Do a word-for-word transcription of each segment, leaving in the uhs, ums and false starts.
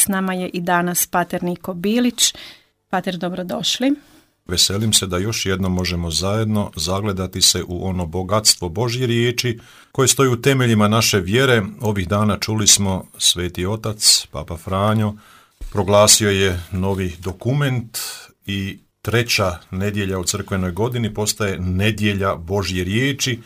S nama je i danas pater Niko Bilić. Pater, dobrodošli. Veselim se da još jednom možemo zajedno zagledati se u ono bogatstvo Božje riječi koje stoji u temeljima naše vjere. Ovih dana čuli smo Sveti Otac, Papa Franjo, proglasio je novi dokument i treća nedjelja u crkvenoj godini postaje nedjelja Božje riječi.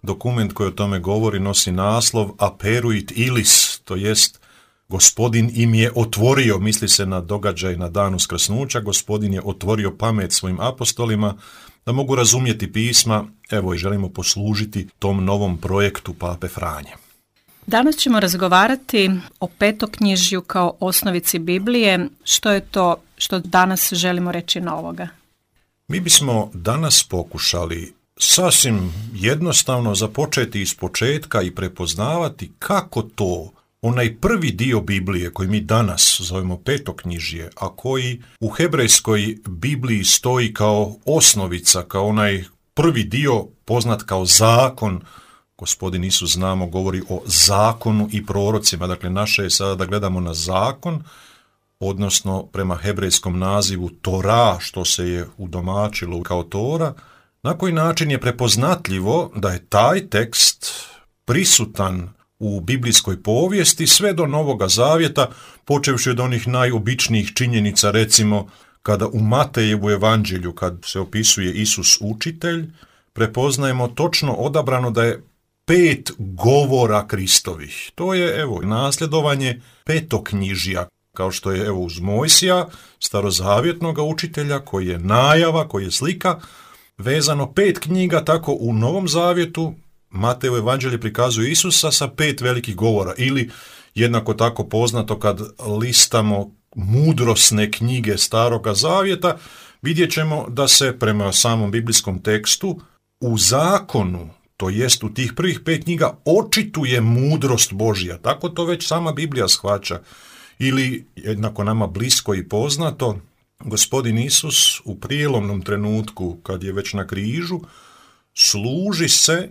Dokument koji o tome govori nosi naslov Aperuit Ilis, to jest Gospodin im je otvorio, misli se na događaj na dan uskrsnuća, Gospodin je otvorio pamet svojim apostolima da mogu razumjeti pisma, evo i želimo poslužiti tom novom projektu Pape Franje. Danas ćemo razgovarati o petoknjižju kao osnovici Biblije. Što je to što danas želimo reći novoga? Mi bismo danas pokušali sasvim jednostavno započeti iz početka i prepoznavati kako to onaj prvi dio Biblije koji mi danas zovemo petoknjižje, a koji u hebrejskoj Bibliji stoji kao osnovica, kao onaj prvi dio poznat kao zakon. Gospodin Isus, znamo, govori o zakonu i prorocima. Dakle, naše je sada da gledamo na zakon, odnosno prema hebrejskom nazivu Tora, što se je udomačilo kao Tora. Na koji način je prepoznatljivo da je taj tekst prisutan u biblijskoj povijesti sve do Novoga Zavjeta, počevši od onih najobičnijih činjenica, recimo kada u Matejevu evanđelju, kad se opisuje Isus učitelj, prepoznajemo točno odabrano da je pet govora Kristovih. To je, evo, nasljedovanje petoknjižja, kao što je, evo, uz Mojsija, starozavjetnog učitelja, koji je najava, koji je slika, vezano pet knjiga, tako u Novom Zavjetu Matejevo evanđelje prikazuje Isusa sa pet velikih govora, ili jednako tako poznato kad listamo mudrosne knjige Staroga Zavjeta, vidjet ćemo da se prema samom biblijskom tekstu u zakonu, to jest u tih prvih pet knjiga, očituje mudrost Božja. Tako to već sama Biblija shvaća. Ili, jednako nama blisko i poznato, Gospodin Isus u prijelomnom trenutku, kad je već na križu, služi se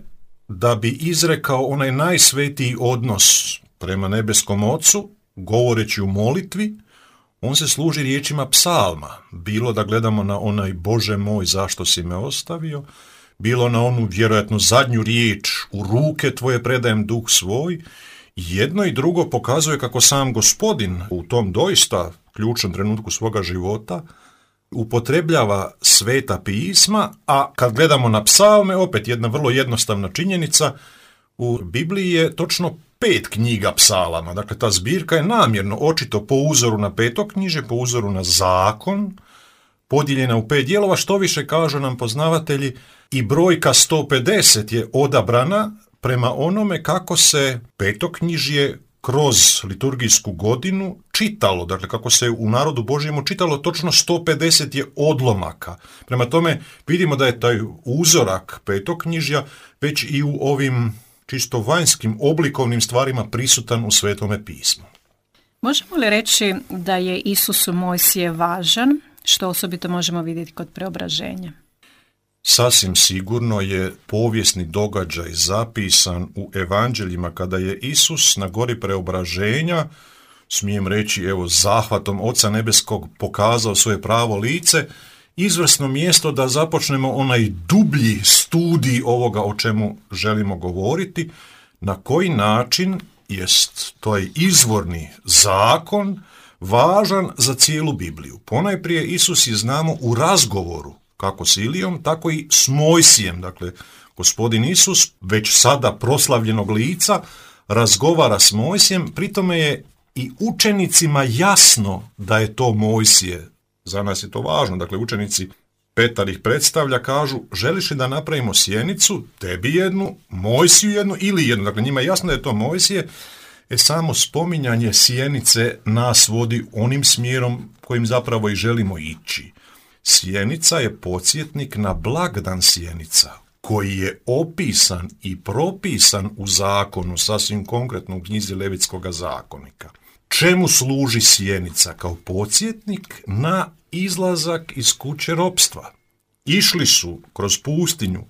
da bi izrekao onaj najsvetiji odnos prema nebeskom Ocu, govoreći u molitvi. On se služi riječima psalma, bilo da gledamo na onaj Bože moj, zašto si me ostavio, bilo na onu vjerojatno zadnju riječ, u ruke tvoje predajem duh svoj. Jedno i drugo pokazuje kako sam Gospodin u tom doista ključnom trenutku svoga života upotrebljava sveta pisma, a kad gledamo na psalme, opet jedna vrlo jednostavna činjenica, u Bibliji je točno pet knjiga psalama. Dakle, ta zbirka je namjerno očito po uzoru na petoknjižje, po uzoru na zakon, podijeljena u pet dijelova, što više kažu nam poznavatelji, i brojka sto pedeset je odabrana prema onome kako se petoknjižje kroz liturgijsku godinu čitalo, dakle kako se u narodu Božjemu čitalo, točno sto pedeset je odlomaka. Prema tome vidimo da je taj uzorak petoknjižja već i u ovim čisto vanjskim oblikovnim stvarima prisutan u Svetome pismu. Možemo li reći da je Isusu Mojsije važan, što osobito možemo vidjeti kod preobraženja? Sasvim sigurno je povijesni događaj zapisan u evanđeljima kada je Isus na gori preobraženja, smijem reći, evo, zahvatom Oca Nebeskog pokazao svoje pravo lice, izvrsno mjesto da započnemo onaj dublji studij ovoga o čemu želimo govoriti, na koji način jest to je izvorni zakon važan za cijelu Bibliju. Ponajprije Isus je, znamo, u razgovoru kako s Ilijom, tako i s Mojsijem. Dakle, Gospodin Isus, već sada proslavljenog lica, razgovara s Mojsijem, pritome je i učenicima jasno da je to Mojsije. Za nas je to važno. Dakle, učenici, Petar ih predstavlja, kažu, želiš li da napravimo sjenicu, tebi jednu, Mojsiju jednu ili jednu. Dakle, njima je jasno da je to Mojsije. E, samo spominjanje sjenice nas vodi onim smjerom kojim zapravo i želimo ići. Sjenica je podsjetnik na blagdan sjenica, koji je opisan i propisan u zakonu, sasvim konkretno u knjizi Levitskoga zakonika. Čemu služi sjenica? Kao podsjetnik na izlazak iz kuće ropstva. Išli su kroz pustinju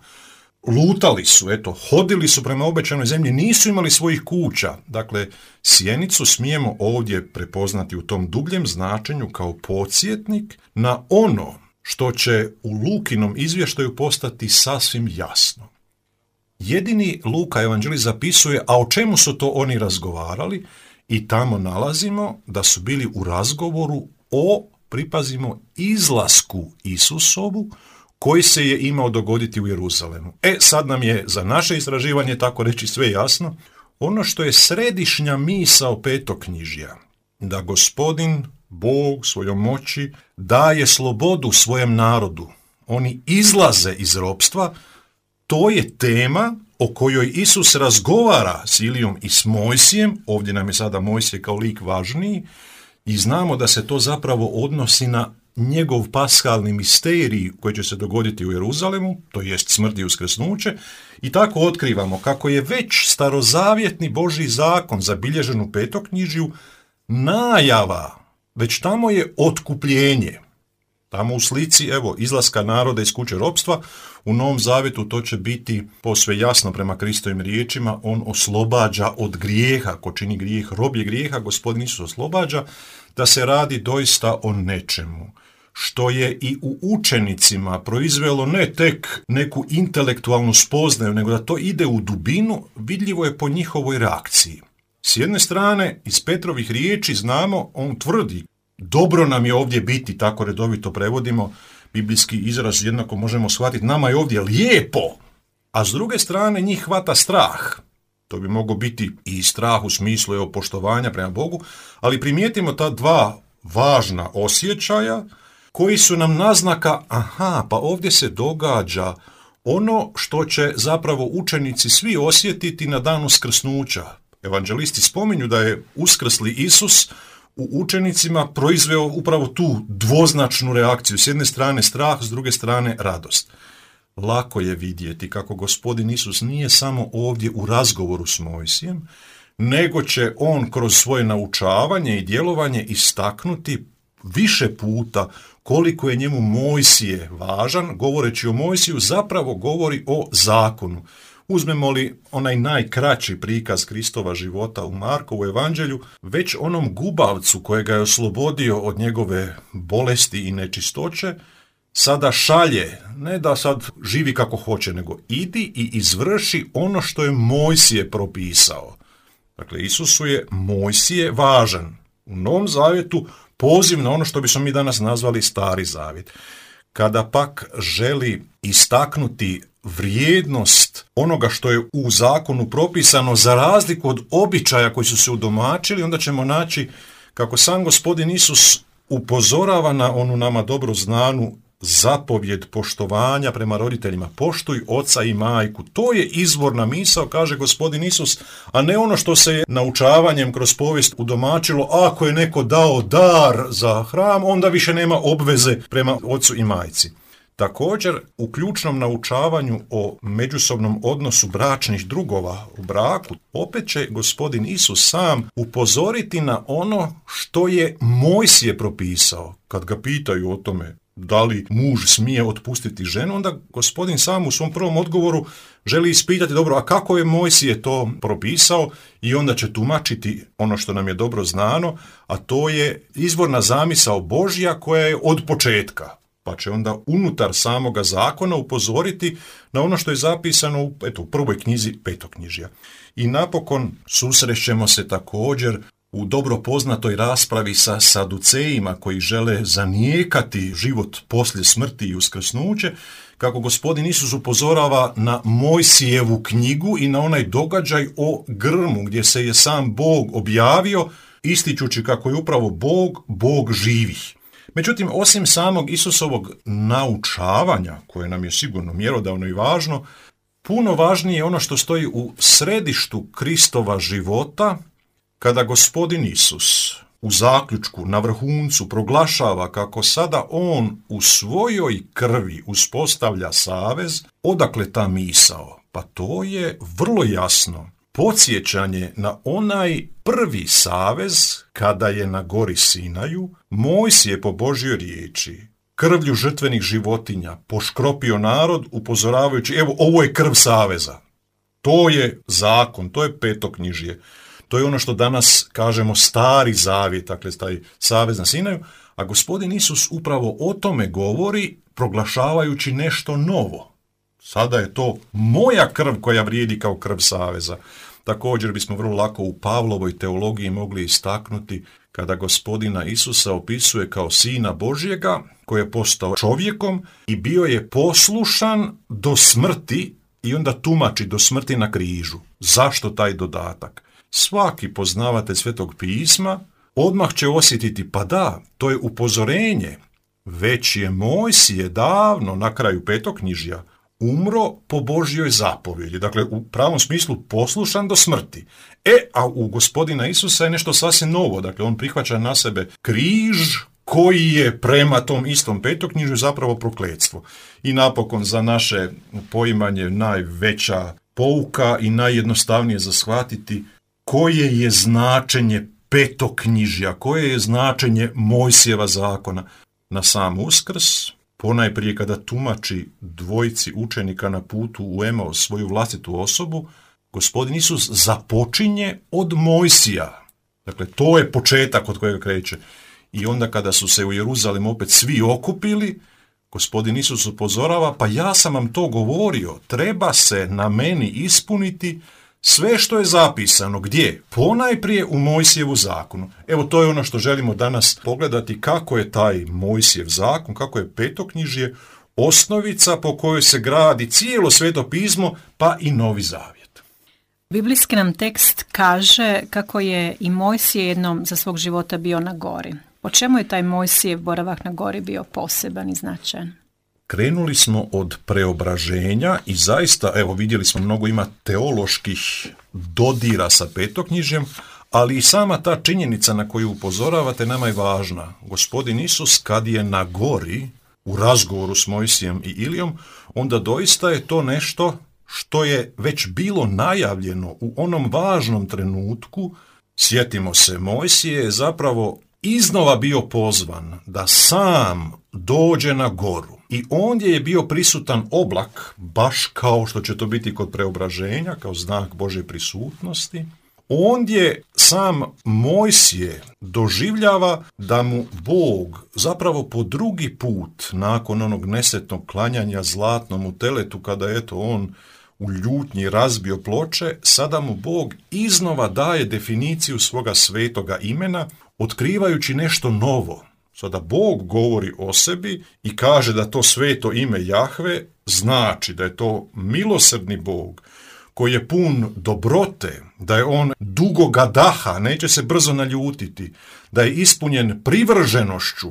lutali su, eto, hodili su prema obećanoj zemlji, nisu imali svojih kuća. Dakle, sjenicu smijemo ovdje prepoznati u tom dubljem značenju kao podsjetnik na ono što će u Lukinom izvještaju postati sasvim jasno. Jedini Luka evanđelist zapisuje, a o čemu su to oni razgovarali, i tamo nalazimo da su bili u razgovoru o, pripazimo, izlasku Isusovu koji se je imao dogoditi u Jeruzalemu. E, sad nam je za naše istraživanje, tako reći, sve jasno. Ono što je središnja misao petoknjižja, da Gospodin Bog svojom moći daje slobodu svojem narodu. Oni izlaze iz ropstva, to je tema o kojoj Isus razgovara s Ilijom i s Mojsijem. Ovdje nam je sada Mojsije kao lik važniji i znamo da se to zapravo odnosi na njegov paskalni misterij koji će se dogoditi u Jeruzalemu, to jest smrt i uskrsnuće, i tako otkrivamo kako je već starozavjetni Božji zakon zabilježen u petoknjižju najava, već tamo je otkupljenje. Tamo u slici, evo, izlaska naroda iz kuće ropstva, u Novom Zavjetu to će biti posve jasno prema Kristovim riječima, on oslobađa od grijeha, ko čini grijeh, rob je grijeha, Gospodin Isus oslobađa, da se radi doista o nečemu što je i u učenicima proizvelo ne tek neku intelektualnu spoznaju, nego da to ide u dubinu, vidljivo je po njihovoj reakciji. S jedne strane, iz Petrovih riječi znamo, on tvrdi, dobro nam je ovdje biti, tako redovito prevodimo, biblijski izraz jednako možemo shvatiti, nama je ovdje lijepo, a s druge strane njih hvata strah. To bi moglo biti i strah u smislu evo, poštovanja prema Bogu, ali primijetimo ta dva važna osjećaja koji su nam naznaka, aha, pa ovdje se događa ono što će zapravo učenici svi osjetiti na dan uskrsnuća. Evanđelisti spominju da je uskrsli Isus u učenicima proizveo upravo tu dvoznačnu reakciju. S jedne strane strah, s druge strane radost. Lako je vidjeti kako Gospodin Isus nije samo ovdje u razgovoru s Mojsijem, nego će on kroz svoje naučavanje i djelovanje istaknuti više puta koliko je njemu Mojsije važan. Govoreći o Mojsiju zapravo govori o zakonu. Uzmemo li onaj najkraći prikaz Kristova života u Markovu evanđelju, već onom gubavcu kojega je oslobodio od njegove bolesti i nečistoće, sada šalje, ne da sad živi kako hoće, nego idi i izvrši ono što je Mojsije propisao. Dakle, Isusu je Mojsije važan. U Novom Zavjetu poziv na ono što bismo mi danas nazvali Stari Zavjet. Kada pak želi istaknuti vrijednost onoga što je u zakonu propisano za razliku od običaja koji su se udomačili, onda ćemo naći kako sam Gospodin Isus upozorava na onu nama dobro znanu zapovjed poštovanja prema roditeljima. Poštuj oca i majku. To je izvorna misao, kaže Gospodin Isus, a ne ono što se je naučavanjem kroz povijest udomačilo, ako je neko dao dar za hram, onda više nema obveze prema ocu i majci. Također, u ključnom naučavanju o međusobnom odnosu bračnih drugova u braku, opet će Gospodin Isus sam upozoriti na ono što je Mojsije propisao. Kad ga pitaju o tome da li muž smije otpustiti ženu, onda Gospodin sam u svom prvom odgovoru želi ispitati, dobro, a kako je Mojsije to propisao, i onda će tumačiti ono što nam je dobro znano, a to je izvorna zamisao Božja koja je od početka. Pa će onda unutar samoga zakona upozoriti na ono što je zapisano u, eto, u prvoj knjizi Petoknjižja. I napokon susrećemo se također u dobro poznatoj raspravi sa Saducejima koji žele zanijekati život poslije smrti i uskrsnuće, kako Gospodin Isus upozorava na Mojsijevu knjigu i na onaj događaj o grmu gdje se je sam Bog objavio, ističući kako je upravo Bog, Bog živih. Međutim, osim samog Isusovog naučavanja, koje nam je sigurno mjerodavno i važno, puno važnije je ono što stoji u središtu Kristova života, kada Gospodin Isus u zaključku na vrhuncu proglašava kako sada on u svojoj krvi uspostavlja savez. Odakle ta misao? Pa to je vrlo jasno podsjećanje na onaj prvi savez kada je na gori Sinaju Mojsije po Božjoj riječi krvlju žrtvenih životinja poškropio narod upozoravajući, evo, ovo je krv saveza. To je zakon, to je petoknjižje. To je ono što danas kažemo stari zavjet, dakle taj savez na Sinaju, a gospodin Isus upravo o tome govori proglašavajući nešto novo. Sada je to moja krv koja vrijedi kao krv saveza. Također bismo vrlo lako u Pavlovoj teologiji mogli istaknuti kada gospodina Isusa opisuje kao sina Božjega koji je postao čovjekom i bio je poslušan do smrti i onda tumači do smrti na križu. Zašto taj dodatak? Svaki poznavatelj Svetog pisma odmah će osjetiti, pa da, to je upozorenje. Već je Mojsije davno na kraju petoknjižja umro po Božjoj zapovjedi, dakle u pravom smislu poslušan do smrti. E, a u gospodina Isusa je nešto sasvim novo, dakle on prihvaća na sebe križ koji je prema tom istom petoknjižju zapravo prokletstvo. I napokon za naše poimanje najveća pouka i najjednostavnije za shvatiti koje je značenje petoknjižja, koje je značenje Mojsijeva zakona. Na sam Uskrs, ponajprije kada tumači dvojici učenika na putu u Emaus svoju vlastitu osobu, gospodin Isus započinje od Mojsija. Dakle, to je početak od kojega kreće. I onda kada su se u Jeruzalem opet svi okupili, gospodin Isus upozorava, pa ja sam vam to govorio, treba se na meni ispuniti sve što je zapisano. Gdje? Ponajprije u Mojsijevu zakonu. Evo, to je ono što želimo danas pogledati, kako je taj Mojsijev zakon, kako je petoknjižje osnovica po kojoj se gradi cijelo Sveto pismo, pa i Novi Zavjet. Biblijski nam tekst kaže kako je i Mojsije jednom za svog života bio na gori. Po čemu je taj Mojsijev boravak na gori bio poseban i značajan? Krenuli smo od preobraženja i zaista, evo vidjeli smo, mnogo ima teoloških dodira sa petoknjižjem, ali i sama ta činjenica na koju upozoravate nama je važna. Gospodin Isus kad je na gori u razgovoru s Mojsijem i Ilijom, onda doista je to nešto što je već bilo najavljeno u onom važnom trenutku. Sjetimo se, Mojsije je zapravo iznova bio pozvan da sam dođe na goru i ondje je bio prisutan oblak, baš kao što će to biti kod preobraženja, kao znak Božje prisutnosti. Ondje sam Mojsije doživljava da mu Bog zapravo po drugi put, nakon onog nesretnog klanjanja zlatnom u teletu, kada je eto on u ljutnji razbio ploče, sada mu Bog iznova daje definiciju svoga svetoga imena, otkrivajući nešto novo. Sada Bog govori o sebi i kaže da to sveto ime Jahve znači da je to milosrdni Bog koji je pun dobrote, da je on dugoga daha, neće se brzo naljutiti, da je ispunjen privrženošću,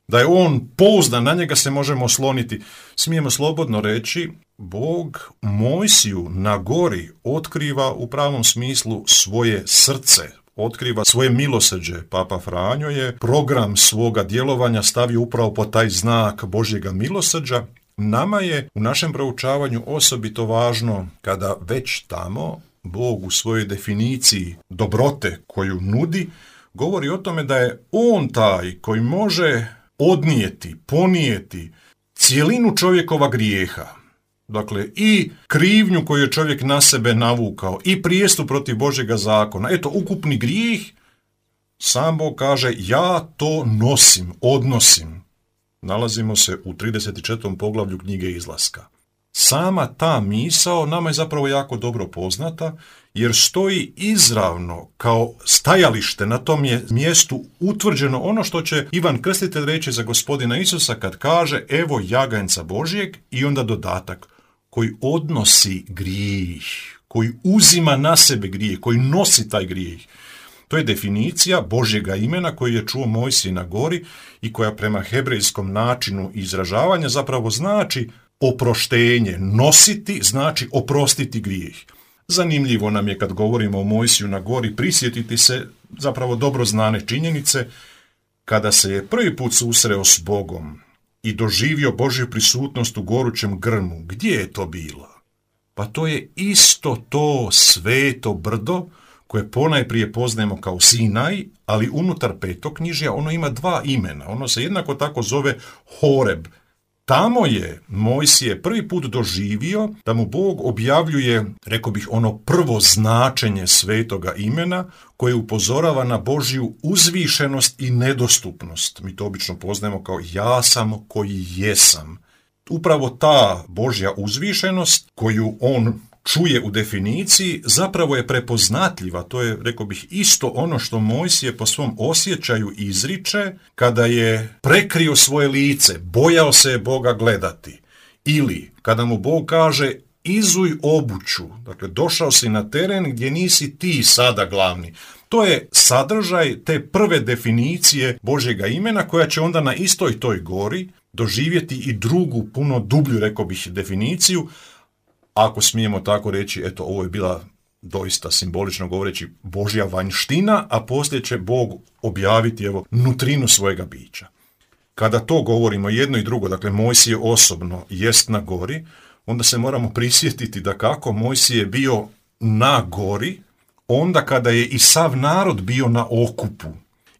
da je on pouzdan, na njega se možemo osloniti. Smijemo slobodno reći, Bog Mojsiju na gori otkriva u pravom smislu svoje srce, otkriva svoje milosrđe. Papa Franjo je program svoga djelovanja stavio upravo po taj znak Božjega milosrđa. Nama je u našem proučavanju osobito važno kada već tamo Bog u svojoj definiciji dobrote koju nudi govori o tome da je on taj koji može odnijeti, ponijeti cijelinu čovjekova grijeha. Dakle, i krivnju koju je čovjek na sebe navukao, i prijestup protiv Božjega zakona. Eto, ukupni grijeh, sam Bog kaže, ja to nosim, odnosim. Nalazimo se u trideset četvrtom poglavlju knjige Izlaska. Sama ta misao nama je zapravo jako dobro poznata, jer stoji izravno kao stajalište na tom je mjestu utvrđeno ono što će Ivan Krstitelj reći za gospodina Isusa kad kaže evo jaganjca Božjeg i onda dodatak koji odnosi grijeh, koji uzima na sebe grijeh, koji nosi taj grijeh. To je definicija Božjega imena koju je čuo Mojsije na gori i koja prema hebrejskom načinu izražavanja zapravo znači oproštenje. Nositi znači oprostiti grijeh. Zanimljivo nam je kad govorimo o Mojsiju na gori prisjetiti se zapravo dobro znane činjenice kada se je prvi put susreo s Bogom i doživio Božju prisutnost u gorućem grmu. Gdje je to bilo? Pa to je isto to sveto brdo koje ponajprije poznajemo kao Sinaj, ali unutar petoknjižja ono ima dva imena. Ono se jednako tako zove Horeb. Tamo je Mojsije prvi put doživio da mu Bog objavljuje, rekao bih, ono prvo značenje svetoga imena koje upozorava na Božju uzvišenost i nedostupnost. Mi to obično poznajemo kao ja sam koji jesam. Upravo ta Božja uzvišenost koju on čuje u definiciji zapravo je prepoznatljiva. To je, rekao bih, isto ono što Mojsije po svom osjećaju izriče kada je prekrio svoje lice, bojao se je Boga gledati. Ili kada mu Bog kaže izuj obuću, dakle došao si na teren gdje nisi ti sada glavni. To je sadržaj te prve definicije Božjega imena koja će onda na istoj toj gori doživjeti i drugu, puno dublju, rekao bih, definiciju. Ako smijemo tako reći, eto, ovo je bila doista simbolično govoreći Božja vanjština, a poslije će Bog objaviti, evo, nutrinu svojega bića. Kada to govorimo jedno i drugo, dakle Mojsije osobno jest na gori, onda se moramo prisjetiti da kako Mojsije je bio na gori, onda kada je i sav narod bio na okupu.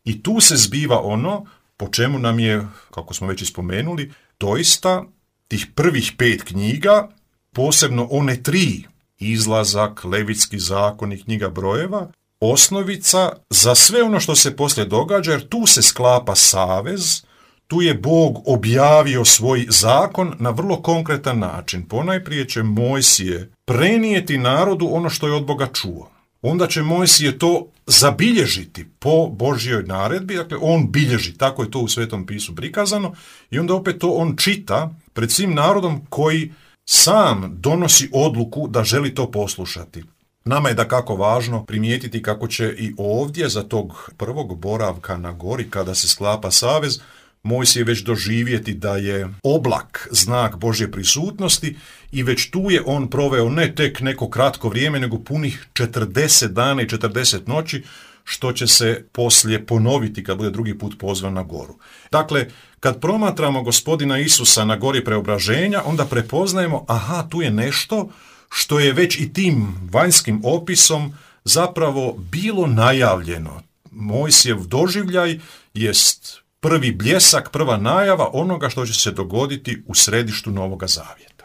I tu se zbiva ono po čemu nam je, kako smo već ispomenuli, doista tih prvih pet knjiga, posebno one tri, Izlazak, Levitski zakon i knjiga brojeva, osnovica za sve ono što se poslije događa, jer tu se sklapa savez, tu je Bog objavio svoj zakon na vrlo konkretan način. Ponajprije će Mojsije prenijeti narodu ono što je od Boga čuo. Onda će Mojsije to zabilježiti po Božjoj naredbi, dakle on bilježi, tako je to u Svetom pisu prikazano, i onda opet to on čita pred svim narodom koji sam donosi odluku da želi to poslušati. Nama je dakako važno primijetiti kako će i ovdje za tog prvog boravka na gori kada se sklapa savez, Mojsije već doživjeti da je oblak znak Božje prisutnosti i već tu je on proveo ne tek neko kratko vrijeme, nego punih četrdeset dana i četrdeset noći, što će se poslije ponoviti kad bude drugi put pozvan na goru. Dakle, kad promatramo Gospodina Isusa na gori preobraženja, onda prepoznajemo, aha, tu je nešto što je već i tim vanjskim opisom zapravo bilo najavljeno. Mojsijev doživljaj jest prvi bljesak, prva najava onoga što će se dogoditi u središtu Novoga Zavjeta.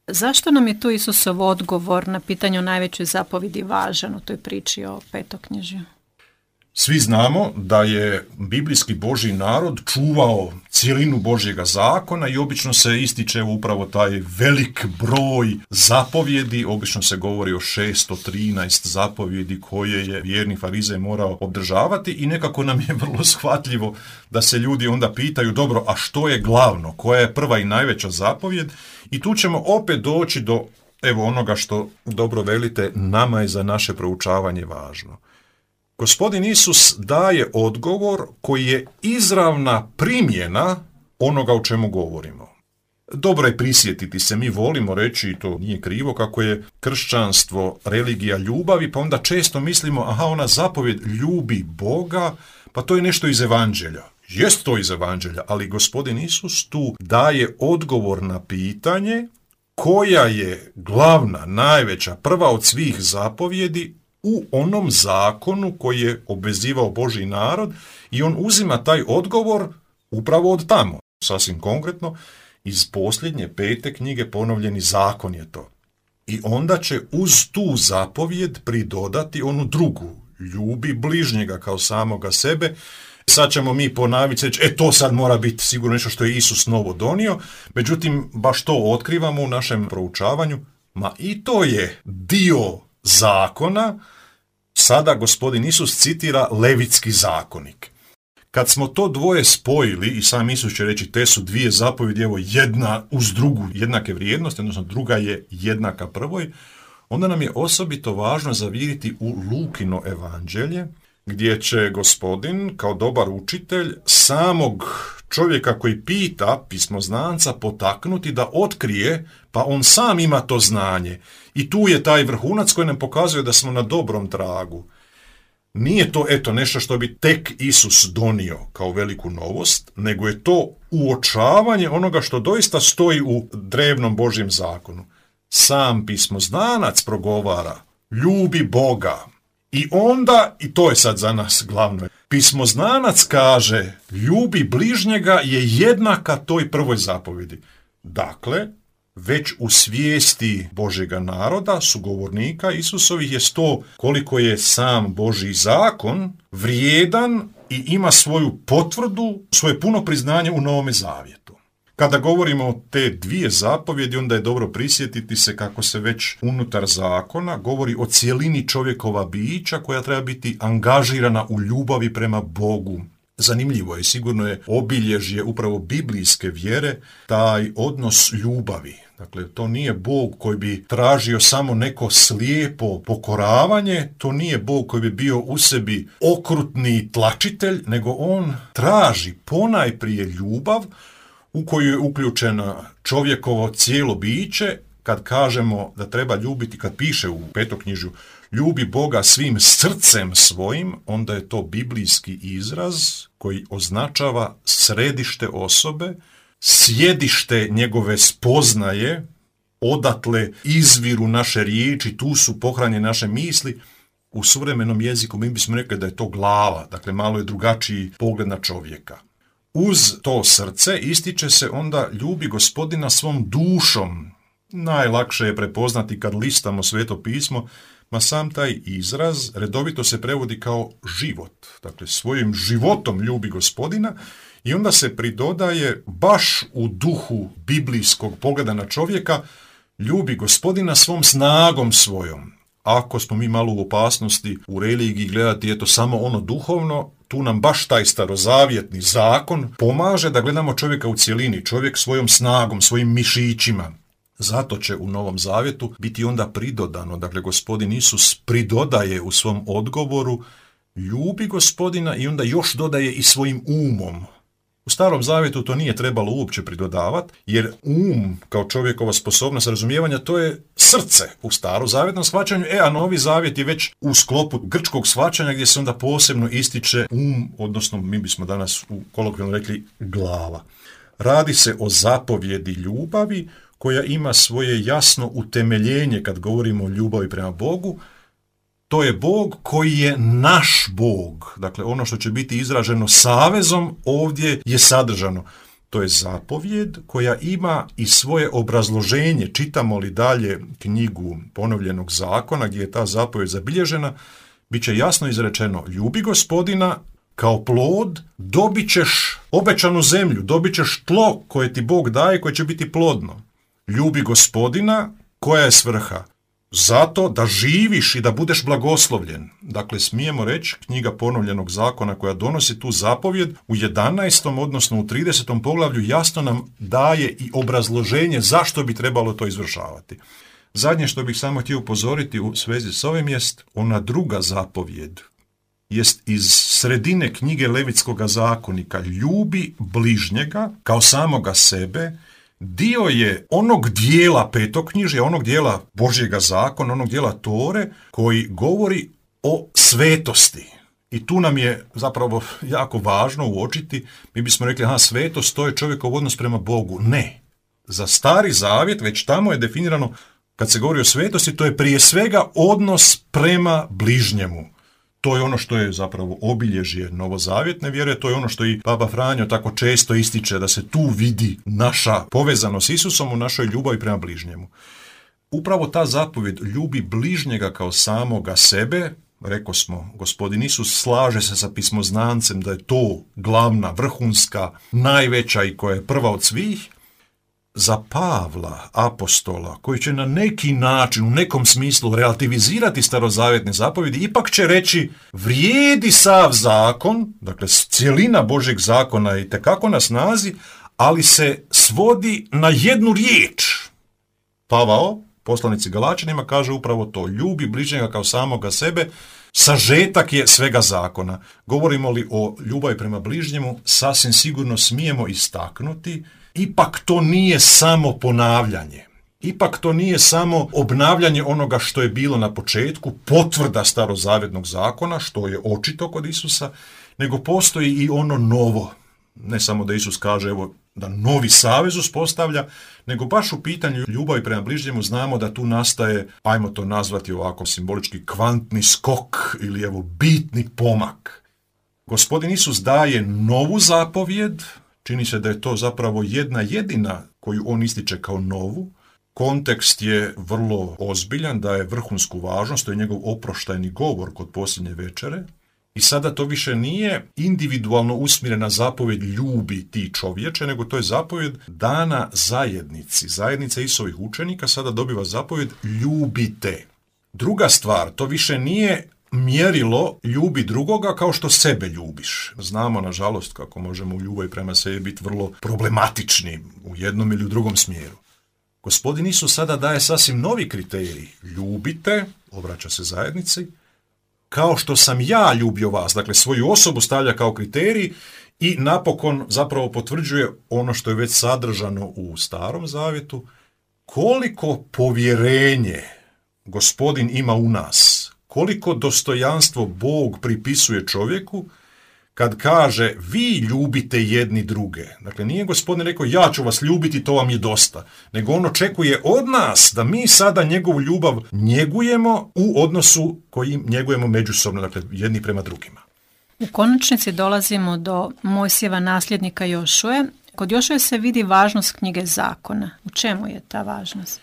Zašto nam je tu Isusov odgovor na pitanje o najvećoj zapovjedi važan u toj priči o petoknjižju? Svi znamo da je biblijski Božji narod čuvao cijelinu Božjega zakona i obično se ističe upravo taj velik broj zapovjedi, obično se govori o šesto trinaest zapovjedi koje je vjerni farizej morao obdržavati i nekako nam je vrlo shvatljivo da se ljudi onda pitaju, dobro, a što je glavno, koja je prva i najveća zapovjed? I tu ćemo opet doći do, evo, onoga što dobro velite, nama je za naše proučavanje važno. Gospodin Isus daje odgovor koji je izravna primjena onoga o čemu govorimo. Dobro je prisjetiti se, mi volimo reći, i to nije krivo, kako je kršćanstvo religija ljubavi, pa onda često mislimo, aha, ona zapovjed ljubi Boga, pa to je nešto iz evanđelja. Jest to iz evanđelja, ali Gospodin Isus tu daje odgovor na pitanje koja je glavna, najveća, prva od svih zapovjedi u onom zakonu koji je obvezivao Božji narod i on uzima taj odgovor upravo od tamo. Sasvim konkretno, iz posljednje pete knjige Ponovljeni zakon je to. I onda će uz tu zapovjed pridodati onu drugu, ljubi bližnjega kao samoga sebe. Sad ćemo mi ponaviti, reći, e to sad mora biti sigurno nešto što je Isus novo donio, međutim baš to otkrivamo u našem proučavanju, ma i to je dio zakona. Sada Gospodin Isus citira Levitski zakonik. Kad smo to dvoje spojili, i sam Isus će reći te su dvije zapovjedi, evo jedna uz drugu jednake vrijednosti, odnosno druga je jednaka prvoj, onda nam je osobito važno zaviriti u Lukino evanđelje, gdje će Gospodin, kao dobar učitelj, samog čovjeka koji pita, pismoznanca, potaknuti da otkrije, pa on sam ima to znanje. I tu je taj vrhunac koji nam pokazuje da smo na dobrom tragu. Nije to, eto, nešto što bi tek Isus donio kao veliku novost, nego je to uočavanje onoga što doista stoji u drevnom Božjem zakonu. Sam pismoznanac progovara, ljubi Boga. I onda, i to je sad za nas glavno, pismoznanac kaže ljubi bližnjega je jednaka toj prvoj zapovjedi. Dakle, već u svijesti Božjega naroda, sugovornika Isusovih, je to koliko je sam Božji zakon vrijedan i ima svoju potvrdu, svoje puno priznanje u Novome Zavjetu. Kada govorimo o te dvije zapovjedi, onda je dobro prisjetiti se kako se već unutar zakona govori o cijelini čovjekova bića koja treba biti angažirana u ljubavi prema Bogu. Zanimljivo je, sigurno je obilježje upravo biblijske vjere, taj odnos ljubavi. Dakle, to nije Bog koji bi tražio samo neko slijepo pokoravanje, to nije Bog koji bi bio u sebi okrutni tlačitelj, nego on traži ponajprije ljubav u koju je uključena čovjekovo cijelo biće. Kad kažemo da treba ljubiti, kad piše u Petoknjižju, ljubi Boga svim srcem svojim, onda je to biblijski izraz koji označava središte osobe, sjedište njegove spoznaje, odatle izviru naše riječi, tu su pohranjene naše misli. U suvremenom jeziku mi bismo rekli da je to glava, dakle malo je drugačiji pogled na čovjeka. Uz to srce ističe se onda ljubi Gospodina svom dušom. Najlakše je prepoznati kad listamo Sveto pismo, ma sam taj izraz redovito se prevodi kao život. Dakle, svojim životom ljubi Gospodina i onda se pridodaje baš u duhu biblijskog pogleda na čovjeka, ljubi Gospodina svom snagom svojom. Ako smo mi malo u opasnosti u religiji gledati eto samo ono duhovno, tu nam baš taj starozavjetni zakon pomaže da gledamo čovjeka u cjelini, čovjek svojom snagom, svojim mišićima. Zato će u Novom Zavjetu biti onda pridodano, dakle Gospodin Isus pridodaje u svom odgovoru ljubi Gospodina i onda još dodaje i svojim umom. U Starom Zavjetu to nije trebalo uopće pridodavati, jer um kao čovjekova sposobnost razumijevanja to je srce u starozavjetnom shvaćanju, e a Novi Zavjet je već u sklopu grčkog shvaćanja gdje se onda posebno ističe um, odnosno mi bismo danas u kolokvijalno rekli glava. Radi se o zapovjedi ljubavi koja ima svoje jasno utemeljenje kad govorimo o ljubavi prema Bogu. To je Bog koji je naš Bog. Dakle, ono što će biti izraženo savezom ovdje je sadržano. To je zapovjed koja ima i svoje obrazloženje. Čitamo li dalje knjigu Ponovljenog zakona gdje je ta zapovjed zabilježena, bit će jasno izrečeno ljubi Gospodina, kao plod dobit ćeš obećanu zemlju, dobit ćeš tlo koje ti Bog daje, koje će biti plodno. Ljubi Gospodina, koja je svrha? Zato da živiš i da budeš blagoslovljen. Dakle, smijemo reći, knjiga Ponovljenog zakona koja donosi tu zapovjed u jedanaestom odnosno u tridesetom poglavlju jasno nam daje i obrazloženje zašto bi trebalo to izvršavati. Zadnje što bih samo htio upozoriti u svezi s ovim jest ona druga zapovjed. Jest iz sredine knjige Levitskoga zakonika. Ljubi bližnjega kao samoga sebe. Dio je onog dijela Petoknjižja, onog dijela Božjega zakona, onog dijela Tore koji govori o svetosti. I tu nam je zapravo jako važno uočiti, mi bismo rekli, aha, svetost to je čovjekov odnos prema Bogu. Ne. Za Stari Zavjet već tamo je definirano, kad se govori o svetosti, to je prije svega odnos prema bližnjemu. To je ono što je zapravo obilježje novozavjetne vjere, to je ono što i Papa Franjo tako često ističe, da se tu vidi naša povezanost s Isusom u našoj ljubavi prema bližnjemu. Upravo ta zapovjed ljubi bližnjega kao samoga sebe, rekao smo, Gospodin Isus slaže se sa pismoznancem da je to glavna, vrhunska, najveća i koja je prva od svih. Za Pavla, apostola, koji će na neki način, u nekom smislu relativizirati starozavjetne zapovjedi, ipak će reći vrijedi sav zakon, dakle cijelina Božjeg zakona je itekako na snazi, ali se svodi na jednu riječ. Pavao, poslanici Galačanima, kaže upravo to, ljubi bližnjega kao samoga sebe, sažetak je svega zakona. Govorimo li o ljubavi prema bližnjemu, sasvim sigurno smijemo istaknuti, ipak to nije samo ponavljanje. Ipak to nije samo obnavljanje onoga što je bilo na početku, potvrda starozavjetnog zakona, što je očito kod Isusa, nego postoji i ono novo. Ne samo da Isus kaže, evo, da novi savez uspostavlja, nego baš u pitanju ljubavi prema bližnjemu znamo da tu nastaje, ajmo to nazvati ovako simbolički, kvantni skok ili evo bitni pomak. Gospodin Isus daje novu zapovjed, čini se da je to zapravo jedna jedina koju on ističe kao novu. Kontekst je vrlo ozbiljan, daje vrhunsku važnost, to je njegov oproštajni govor kod posljednje večere. I sada to više nije individualno usmjerena zapovjed ljubi ti čovječe, nego to je zapovjed dana zajednici. Zajednica Isusovih učenika sada dobiva zapovjed ljubite. Druga stvar, to više nije mjerilo ljubi drugoga kao što sebe ljubiš. Znamo, nažalost, kako možemo u ljubavi prema sebi biti vrlo problematični u jednom ili u drugom smjeru. Gospodin Isus sada daje sasvim novi kriterij. Ljubite, obraća se zajednici, kao što sam ja ljubio vas. Dakle, svoju osobu stavlja kao kriterij i napokon zapravo potvrđuje ono što je već sadržano u Starom Zavjetu. Koliko povjerenje Gospodin ima u nas, koliko dostojanstvo Bog pripisuje čovjeku kad kaže vi ljubite jedni druge. Dakle, nije Gospodin rekao ja ću vas ljubiti, to vam je dosta, nego on očekuje od nas da mi sada njegovu ljubav njegujemo u odnosu koji njegujemo međusobno, dakle jedni prema drugima. U konačnici dolazimo do Mojsijeva nasljednika Jošue. Kod Jošue se vidi važnost knjige zakona. U čemu je ta važnost?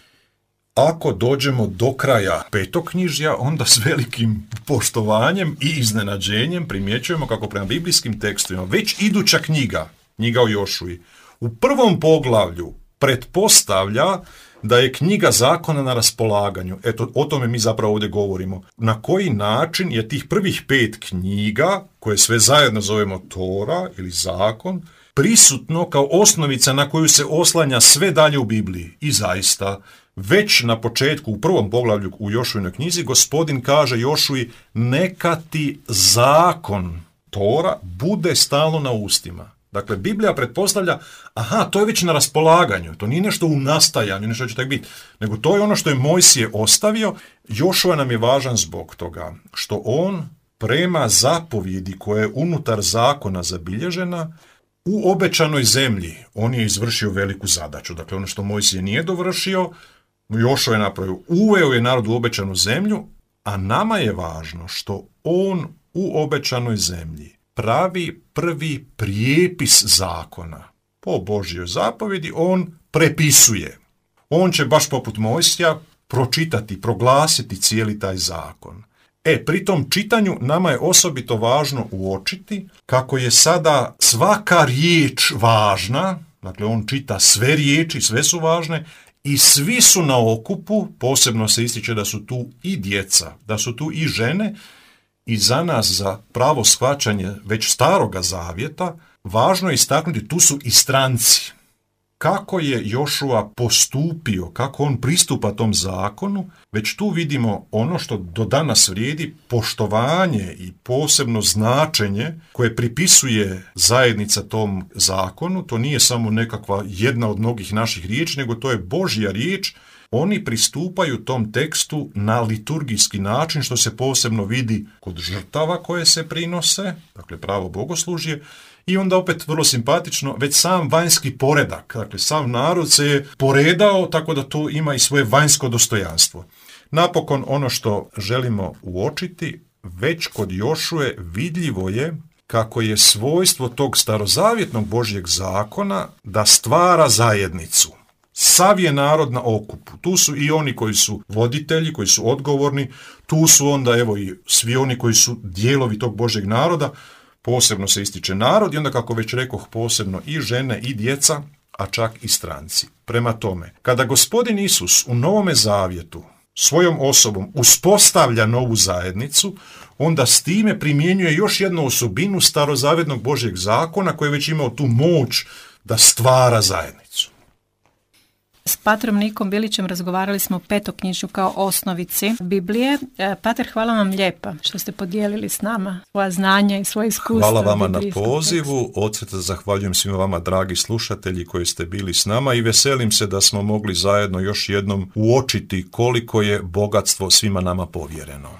Ako dođemo do kraja petoknjižja, onda s velikim poštovanjem i iznenađenjem primjećujemo kako prema biblijskim tekstovima već iduća knjiga, knjiga o Jošuji, u prvom poglavlju pretpostavlja da je knjiga zakona na raspolaganju. Eto, o tome mi zapravo ovdje govorimo. Na koji način je tih prvih pet knjiga, koje sve zajedno zovemo Tora ili zakon, prisutno kao osnovica na koju se oslanja sve dalje u Bibliji. I zaista, već na početku, u prvom poglavlju u Jošuinoj knjizi, Gospodin kaže Jošuji, neka ti zakon Tora bude stalno na ustima. Dakle, Biblija pretpostavlja, aha, to je već na raspolaganju, to nije nešto u nastajanju, nešto će tako biti, nego to je ono što je Mojsije ostavio. Jošua nam je važan zbog toga što on prema zapovjedi koja je unutar zakona zabilježena, u obećanoj zemlji on je izvršio veliku zadaću. Dakle, ono što Mojsije nije dovršio, Jošua je napravio, uveo je narod u obećanu zemlju, a nama je važno što on u obećanoj zemlji pravi prvi prijepis zakona. Po Božjoj zapovjedi on prepisuje. On će baš poput Mojsija pročitati, proglasiti cijeli taj zakon. E, pri tom čitanju nama je osobito važno uočiti kako je sada svaka riječ važna, dakle on čita sve riječi, sve su važne i svi su na okupu, posebno se ističe da su tu i djeca, da su tu i žene i za nas, za pravo shvaćanje već staroga zavjeta, važno je istaknuti, tu su i stranci. Kako je Jošua postupio, kako on pristupa tom zakonu, već tu vidimo ono što do danas vrijedi, poštovanje i posebno značenje koje pripisuje zajednica tom zakonu. To nije samo nekakva jedna od mnogih naših riječi, nego to je Božja riječ. Oni pristupaju tom tekstu na liturgijski način, što se posebno vidi kod žrtava koje se prinose, dakle pravo bogoslužje, i onda opet vrlo simpatično, već sam vanjski poredak, dakle sav narod se je poredao tako da to ima i svoje vanjsko dostojanstvo. Napokon ono što želimo uočiti, već kod Jošue vidljivo je kako je svojstvo tog starozavjetnog Božjeg zakona da stvara zajednicu. Sav je narod na okupu. Tu su i oni koji su voditelji, koji su odgovorni, tu su onda evo i svi oni koji su dijelovi tog Božjeg naroda, posebno se ističe narod i onda, kako već rekoh, posebno i žene i djeca, a čak i stranci. Prema tome, kada Gospodin Isus u Novome Zavjetu svojom osobom uspostavlja novu zajednicu, onda s time primjenjuje još jednu osobinu starozavjetnog Božjeg zakona koji je već imao tu moć da stvara zajednicu. S Patrom Nikom Bilićem razgovarali smo o petoknjižju kao osnovici Biblije. Pater, hvala vam lijepa što ste podijelili s nama svoja znanja i svoje iskustva. Hvala vama na pozivu. Od srca zahvaljujem svima vama, dragi slušatelji koji ste bili s nama, i veselim se da smo mogli zajedno još jednom uočiti koliko je bogatstvo svima nama povjereno.